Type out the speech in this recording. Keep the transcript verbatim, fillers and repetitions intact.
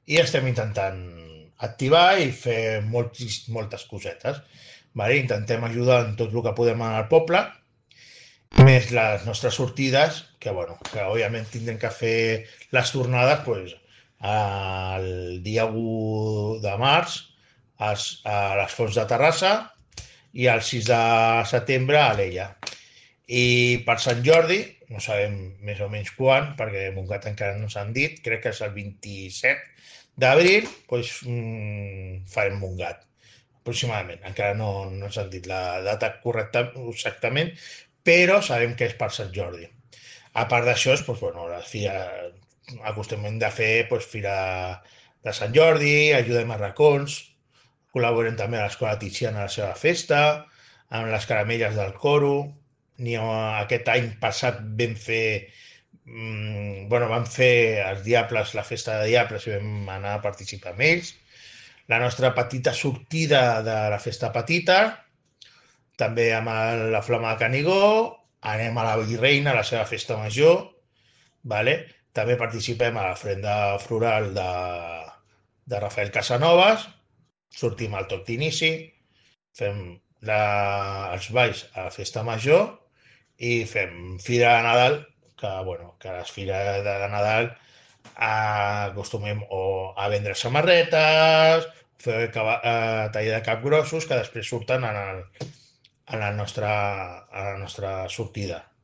i estem intentant activar i fer moltes, moltes cosetes. Vale? Intentem ajudar en tot el que podem al poble, més les nostres sortides, que, bueno, que òbviament tindrem que fer les tornades pues, el dia u de març als, a les Fonts de Terrassa i el sis de setembre a l'Ella. I per Sant Jordi, no sabem més o menys quan, perquè Montgat encara no s'han dit, crec que és el vint-i-set d'abril, doncs mm, farem Montgat, aproximadament. Encara no, no s'han dit la data correcta exactament, però sabem que és per Sant Jordi. A part d'això, doncs, bueno, la fira, acostumem de fer doncs, fira de Sant Jordi, ajudem a racons, col·laborem també a l'Escola Tiziana a la seva festa, amb les caramelles del coro. Ni aquest any passat vam fer mm, bueno, vam fer els Diables, la festa de Diables, i vam anar a participar amb ells. La nostra petita sortida de la festa petita, també amb el, la Flama de Canigó, anem a la Virreina, a la seva festa major, vale? També participem a la frenda floral de, de Rafael Casanovas, sortim al toc d'inici, fem la, els balls a la festa major i fem fira de Nadal, que, bueno, que a les fires de Nadal acostumem o a vendre samarretes, fer cava, eh, taller de capgrossos que després surten en, el, en, la nostra, en la nostra sortida.